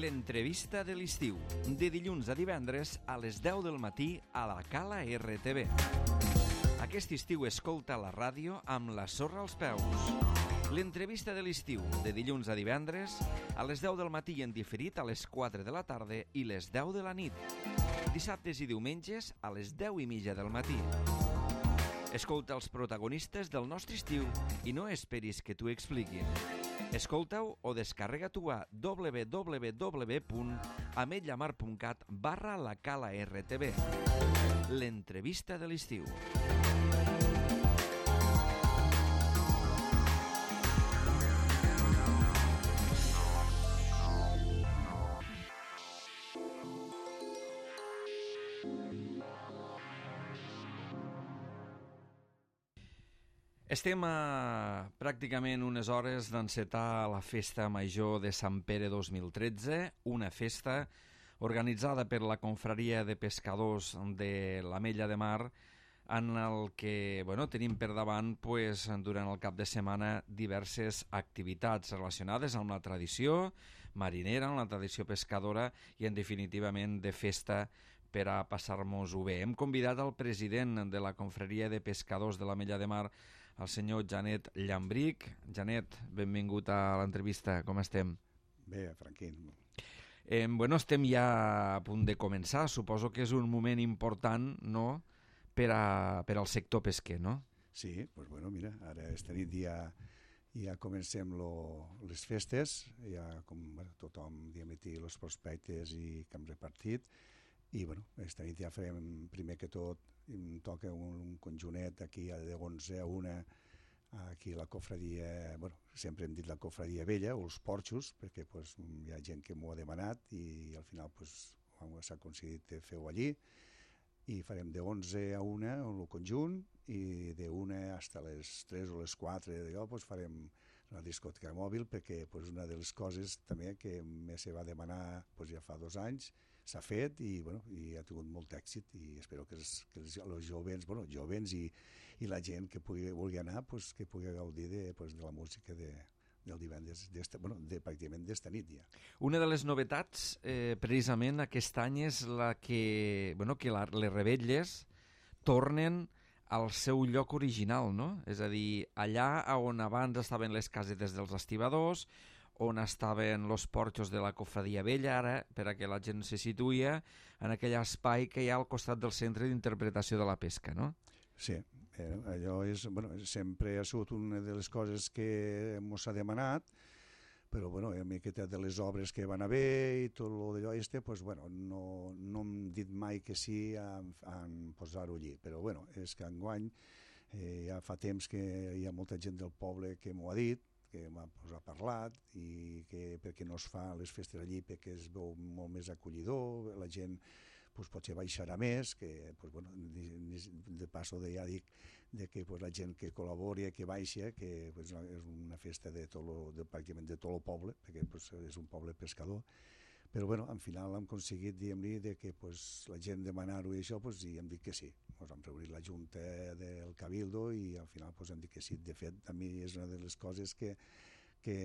L'entrevista de l'estiu, de dilluns a divendres a les 10 del matí a la Cala RTV. Aquest estiu escolta la ràdio amb la sorra als peus. L'entrevista de l'estiu, de dilluns a divendres a les 10 del matí i en diferit a les 4 de la tarda i les 10 de la nit. Dissabtes i diumenges a les 10:30 del matí. Escolta els protagonistes del nostre estiu i no esperis que t'ho expliquin. Escolta-ho o descarrega-t'ho a www.ametlllamar.cat/la Cala RTV. L'entrevista de l'estiu. Estem a pràcticament unes hores d'encetar la Festa Major de Sant Pere 2013, una festa organitzada per la Confraria de Pescadors de l'Ametlla de Mar, en el que tenim per davant durant el cap de setmana diverses activitats relacionades amb la tradició marinera, amb la tradició pescadora i en definitivament de festa per a passar-nos-ho bé. Hem convidat el president de la Confraria de Pescadors de l'Ametlla de Mar, el senyor Janet Llambric. Janet, benvingut a l'entrevista, com estem? Bé, Franquín. Estem ja a punt de començar, suposo que és un moment important, no?, per al sector pesquer, no? Sí, mira, ara esta nit ja comencem les festes, ja com tothom diametí els prospectes i que hem repartit, i esta nit ja farem, primer que tot, em toca un conjunet aquí de 11 a 1, aquí la cofradia, sempre hem dit la cofradia vella, o els porxos, perquè hi ha gent que m'ho ha demanat i al final s'ha aconseguit fer-ho allí, i farem de 11 a 1 el conjunt i de 1 fins a les 3 o les 4 d'allò farem la discoteca mòbil, perquè una de les coses també que més se va demanar ja fa 2 anys s'ha fet i ha tingut molt èxit, i espero que els jovens i la gent que vulgui anar que pugui gaudir de la música del divendres, pràcticament d'esta nit ja. Una de les novetats precisament aquest any és que les revetlles tornen al seu lloc original, no? És a dir, allà on abans estaven les casetes dels estibadors, on estaven els porxos de la cofradia vella, ara, per a que la gent se situïa, en aquell espai que hi ha al costat del centre d'interpretació de la pesca, no? Sí, allò sempre ha sigut una de les coses que ens ha demanat, però a miqueta de les obres que van haver i tot d'allò no hem dit mai que sí a posar-ho allí, però és que enguany ja fa temps que hi ha molta gent del poble que m'ho ha dit, que m'ha parlat, i que perquè no es fa les festes allí perquè es veu molt més acollidor, la gent potser baixarà més, que de passo ja dic que la gent que col·labori, que baixa, que és una festa pràcticament de tot el poble, perquè és un poble pescador, però al final hem aconseguit dir-li que la gent demanar-ho i això, i hem dit que sí. Hem reunit la Junta del Cabildo i al final hem dit que sí. De fet, a mi és una de les coses que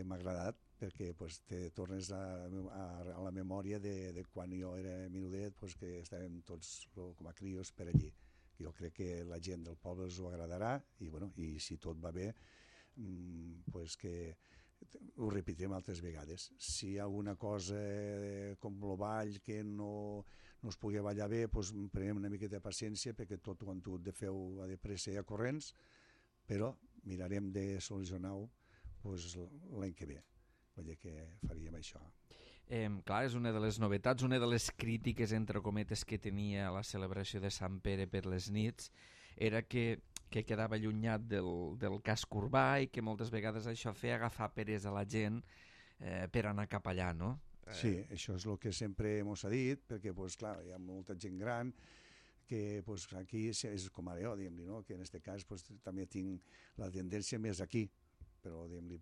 m'ha agradat, perquè te tornes a la memòria de quan jo era menudet, que estàvem tots com a crios per allí. Jo crec que la gent del poble els ho agradarà i si tot va bé, que ho repetirem altres vegades. Si hi ha alguna cosa com el ball que no es pugui ballar bé, prenem una miqueta de paciència, perquè tot ho han hagut de fer-ho de pressa i a corrents, però mirarem de solucionar-ho l'any que ve. Vull dir que faríem això. Clar, és una de les novetats, una de les crítiques, entre cometes, que tenia la celebració de Sant Pere per les nits, era que quedava allunyat del casc urbà i que moltes vegades això feia agafar peresa a la gent per anar cap allà, no? Sí, això és el que sempre ens ha dit, perquè clar, hi ha molta gent gran que aquí és com ara jo, diguem-li, no? Que en aquest cas també tinc la tendència més aquí, però diguem-li,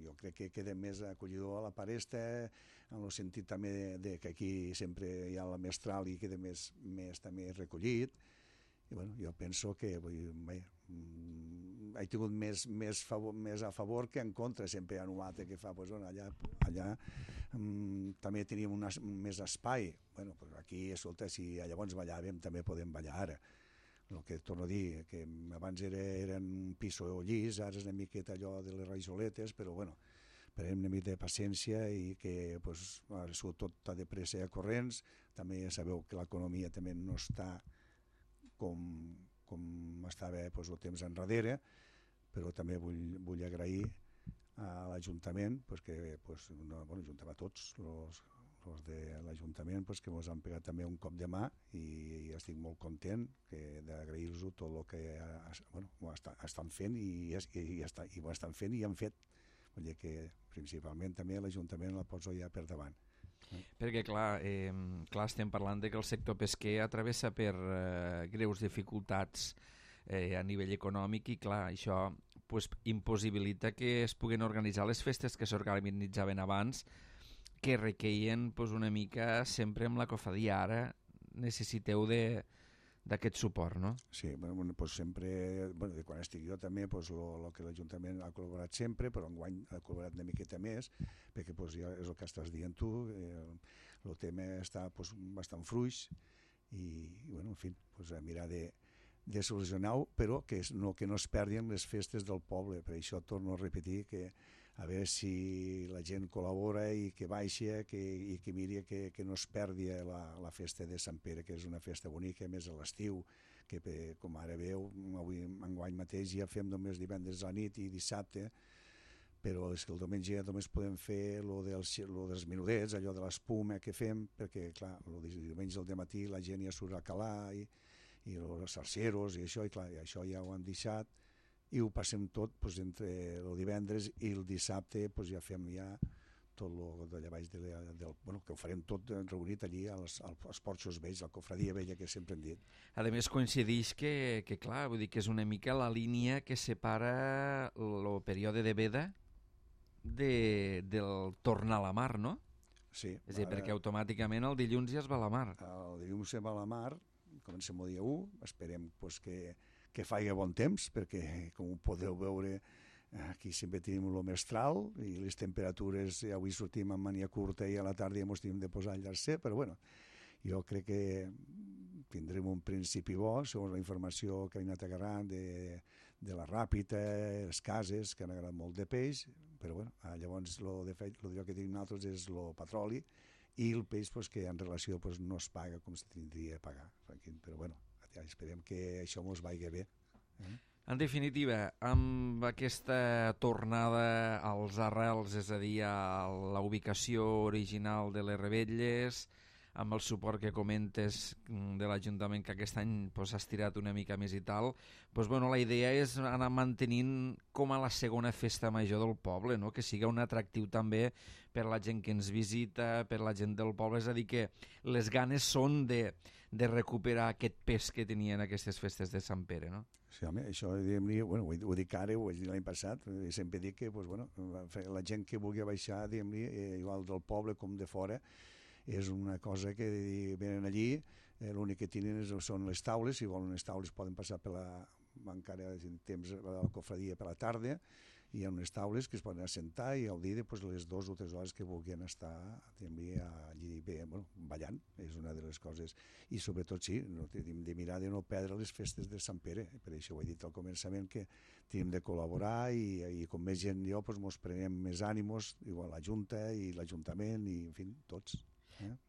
jo crec que queda més acollidor a la Paresta, en el sentit també que aquí sempre hi ha la mestral i queda més també recollit. I jo penso que he tingut més a favor que en contra, sempre hi ha un altre que fa, pues, allà també teníem més espai. Bueno, pues aquí, escolta, si llavors ballàvem, també podem ballar ara. El que torno a dir, que abans eren un piso llis, ara és una miqueta allò de les rajoletes, però bueno, prenem una mica de paciència i que pues, ara tot de pressa i a corrents. També ja sabeu que l'economia també no està com estava pues, el temps enrere, però també vull agrair a l'Ajuntament, pues, que pues, juntem a tots els de l'Ajuntament pues, que ens han pegat també un cop de mà i estic molt content d'agrair-los tot el que estan fent i ho estan fent i han fet. Vull dir que principalment també l'Ajuntament la poso ja per davant. Perquè clar, estem parlant de que el sector pesquer atravessa per greus dificultats a nivell econòmic i clar, això pues, impossibilita que es puguen organitzar les festes que s'organitzaven abans, que requeien pues, una mica sempre amb la cofadia. Ara necessiteu d'aquest suport, no? Sí, pues sempre, de quan estic jo també, pues, el que l'Ajuntament ha col·laborat sempre, però enguany ha col·laborat una miqueta més, perquè pues, ja és el que estàs dient tu, el tema està pues, bastant fluix i bueno, en fi, pues, a mirar de solucionar-ho, però que no es perdin les festes del poble. Per això torno a repetir que a veure si la gent col·labora i que baixa i que miri que no es perdi la festa de Sant Pere, que és una festa bonica, més a l'estiu, que com ara veu, enguany mateix ja fem només divendres a la nit i dissabte, però és que el diumenge ja només podem fer lo dels menudets, allò de l'espuma que fem, perquè clar, el diumenge al matí la gent ja surt a calar i els sarceros i això, i clar, això ja ho han deixat, i ho passem tot pues, entre el divendres i el dissabte pues, ja fem ja tot el d'allà baix que ho farem tot reunit allí als porxos vells, la cofradia vella que sempre hem dit. A més coincideix que clar, vull dir que és una mica la línia que separa el període de veda del tornar a la mar, no? Sí. És a dir, perquè automàticament el dilluns ja es va a la mar. El dilluns se va a la mar, comencem el dia 1, esperem pues, que faci bon temps, perquè com ho podeu veure aquí sempre tenim el mestral i les temperatures, ja avui sortim amb mania curta i a la tarda ja ens tenim de posar al llarcer, però bueno, jo crec que tindrem un principi bo, segons la informació que ha anat agarrant de la Ràpita, les cases, que han agarrat molt de peix, però bueno, llavors el que tenim nosaltres és el petroli i el peix pues, que en relació pues, no es paga com se tindria de pagar, però bueno, esperem que això ens vagi bé. En definitiva, amb aquesta tornada als arrels, és a dir, a la ubicació original de les Rebelles, amb el suport que comentes de l'Ajuntament que aquest any s'ha estirat una mica més i tal, la idea és anar mantenint com a la segona festa major del poble, no? Que siga un atractiu també per la gent que ens visita, per la gent del poble, és a dir, que les ganes són de recuperar aquest pes que tenien aquestes festes de Sant Pere, no? Sí, home, això ho dic ara, ho vaig dir l'any passat, sempre dic que la gent que vulgui baixar, igual del poble com de fora, és una cosa que venen allí, l'únic que tenen són les taules, si volen les taules poden passar encara en temps a la cofradia per la tarda, hi ha unes taules que es poden assentar i gaudir de les 2 o 3 hores que vulguin estar allí ballant, és una de les coses. I sobretot sí, hem de mirar de no perdre les festes de Sant Pere, per això ho he dit al començament, que tenim de col·laborar i com més gent jo ens prenem més ànimos, igual la Junta i l'Ajuntament i en fi, tots.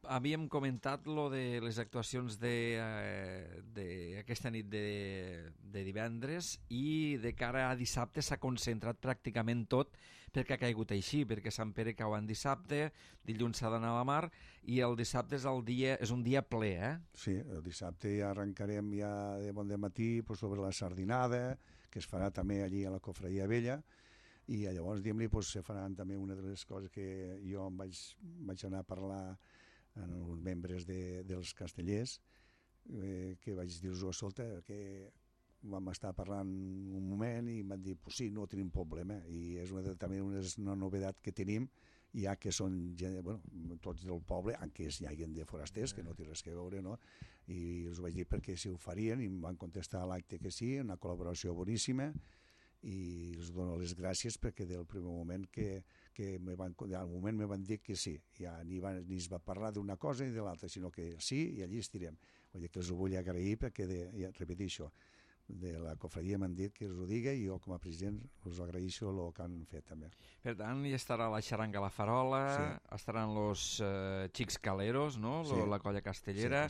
Havíem comentat lo de les actuacions d'aquesta nit de divendres i de cara a dissabte s'ha concentrat pràcticament tot perquè ha caigut així, perquè Sant Pere cau en dissabte, dilluns s'ha d'anar a la mar i el dissabte és un dia ple, eh? Sí, el dissabte ja arrencarem ja de bon matí sobre la sardinada, que es farà també allí a la Cofradia Vella, i llavors se faran també una de les coses que jo em vaig anar a parlar amb els membres dels castellers, que vaig dir-los, escolta, que vam estar parlant un moment i m'han dit, pues sí, no tenim problema, i és també una novetat que tenim, ja que són tots del poble, encara hi hagi de forasters, que no té res que veure, no? I els vaig dir perquè si ho farien, i em van contestar a l'acte que sí, una col·laboració boníssima, i els dono les gràcies perquè del primer moment que al moment me van dir que sí, ja ni es va parlar d'una cosa ni de l'altra, sinó que sí i allí estirem. Vull dir que els ho vull agrair perquè, ja repeteixo, de la cofradia m'han dit que us ho digui i jo com a president us agraeixo el que han fet també. Per tant, hi estarà la xaranga La Farola, estaran los Xics Caleros, no? La colla castellera,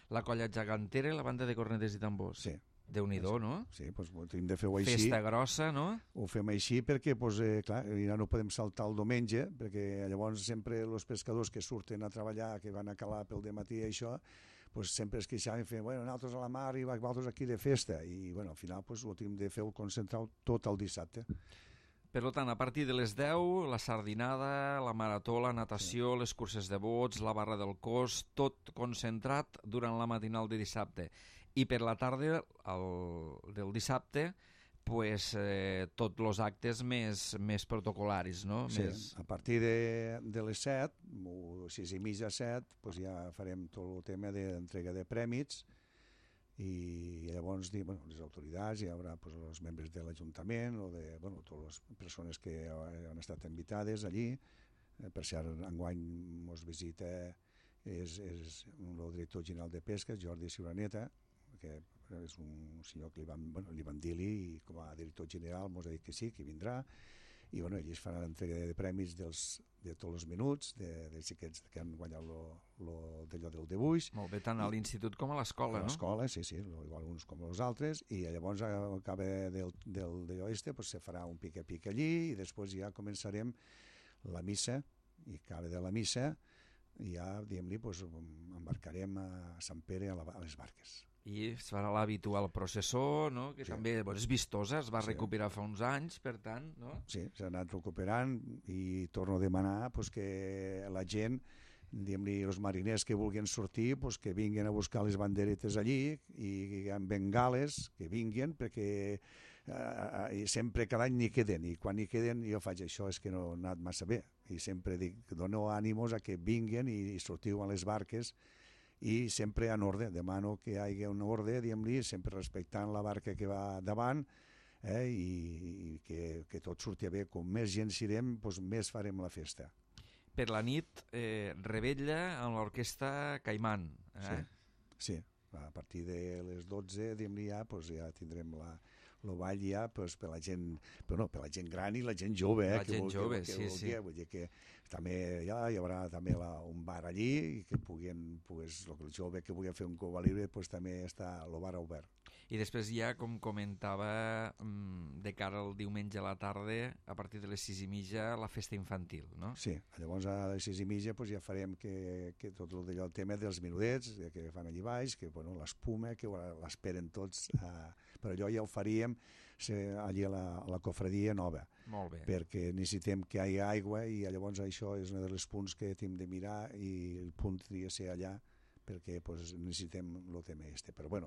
la colla gegantera i la banda de cornetes i tambors. Sí. Déu-n'hi-do, no? Sí, doncs hem de fer-ho així. Festa grossa, no? Ho fem així perquè, clar, ja no podem saltar el diumenge, perquè llavors sempre els pescadors que surten a treballar, que van a calar pel dematí i això, sempre es queixaven i feien, nosaltres a la mar i vosaltres aquí de festa. I al final ho hem de fer concentrat tot el dissabte. Per tant, a partir de les 10, la sardinada, la marató, la natació, les curses de bots, la barra del cos, tot concentrat durant la matinal de dissabte. I per la tarda del dissabte, tots els actes més protocolaris, no? Sí, a partir de les 7, o 6:30, 7, ja farem tot el tema d'entrega de prèmits i llavors les autoritats, hi haurà els membres de l'Ajuntament o de totes les persones que han estat invitades allí. Per cert, enguany ens visita el director general de Pesca, Jordi Ciuraneta, que és un senyor que li van dir-li i com a director general ens ha dit que sí, que vindrà, i ells faran l'entrega de premis de tots els minuts dels xiquets que han guanyat d'allò del dibuix. Molt bé, tant a l'institut com a l'escola, no? A l'escola, sí, igual uns com els altres, i llavors acaba d'allò se farà un pica-pica allí i després ja començarem la missa, i acaba de la missa i ja, diguem-li, embarcarem a Sant Pere a les barques. I es farà l'habitual processó, no? Que també és vistosa, es va recuperar fa uns anys, per tant, no? Sí, s'ha anat recuperant i torno a demanar que la gent, diguem-li, els mariners que vulguin sortir, que vinguin a buscar les banderetes allí i amb bengales que vinguin, perquè sempre cada any n'hi queden, i quan n'hi queden jo faig això, és que no ha anat massa bé, i sempre dic, dono ànimos a que vinguin i sortiu a les barques i sempre en ordre, demano que hi hagi un ordre, diguem-li, sempre respectant la barca que va davant, i que tot surti bé. Com més gent serem, més farem la festa. Per la nit, rebella amb l'orquestra Caimán. Sí, a partir de les 12, diguem-li, ja tindrem el ball ja per la gent gran i la gent jove. La gent jove, sí. Vull dir que també hi haurà també un bar allí i que el jove que vulgui fer un cova libre també està el bar obert. I després ja, com comentava, de cara al diumenge a la tarda, a partir de les 6:30, la festa infantil, no? Sí, llavors a les 6:30 ja farem que tot el tema dels menudets que fan allí baix, que l'espuma, que l'esperen tots, però allò ja ho faríem allí a la cofradia nova. Molt bé. Perquè necessitem que hi hagi aigua i llavors això és un dels punts que hem de mirar i el punt tria ser allà perquè necessitem el tema este. Però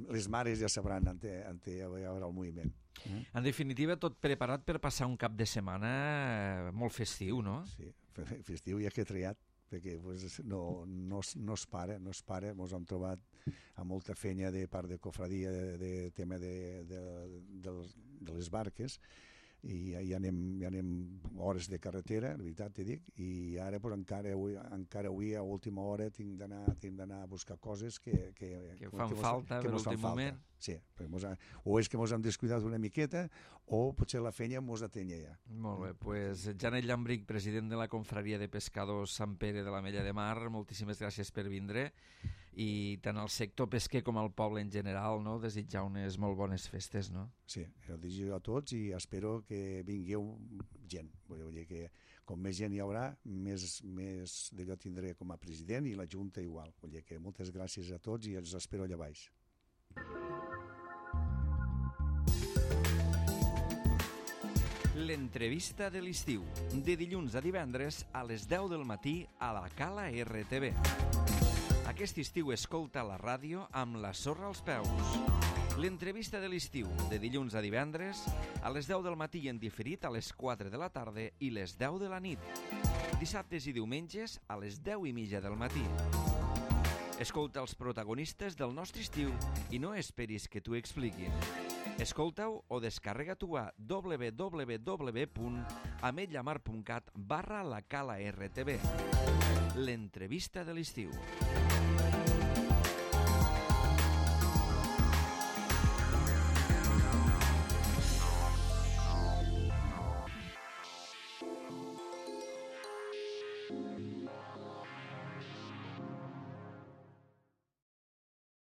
les mares ja sabran on hi haurà el moviment. Mm? En definitiva, tot preparat per passar un cap de setmana molt festiu, no? Sí, festiu ja que he triat, perquè no es para, ens hem trobat amb molta feina de part de cofradia de tema de les barques, i ja anem hores de carretera, la veritat t'he dit, i ara encara avui a última hora tinc d'anar a buscar coses que fan falta per l'últim moment. Sí, o és que ens hem descuidat una miqueta o potser la feina ens atenya ja. Molt bé, doncs Janet Llambric, president de la Confraria de Pescadors Sant Pere de l'Ametlla de Mar, moltíssimes gràcies per vindre, i tant al sector pesquer com al poble en general, no? Desitjar unes molt bones festes, no? Sí, ho desitjo a tots i espero que vingueu gent. Vull dir que com més gent hi haurà, més d'allò tindré com a president i la Junta igual. Vull dir que moltes gràcies a tots i els espero allà baix. L'entrevista de l'estiu, de dilluns a divendres a les 10 del matí a la Cala RTV. Aquest estiu escolta la ràdio amb la sorra als peus. L'entrevista de l'estiu, de dilluns a divendres, a les 10 del matí i en diferit a les 4 de la tarda i les 10 de la nit. Dissabtes i diumenges a les 10:30 del matí. Escolta els protagonistes del nostre estiu i no esperis que t'ho expliquin. Escolta-ho o descarrega-t'ho a www.ametlllamar.cat/la Cala RTV. L'entrevista de l'estiu.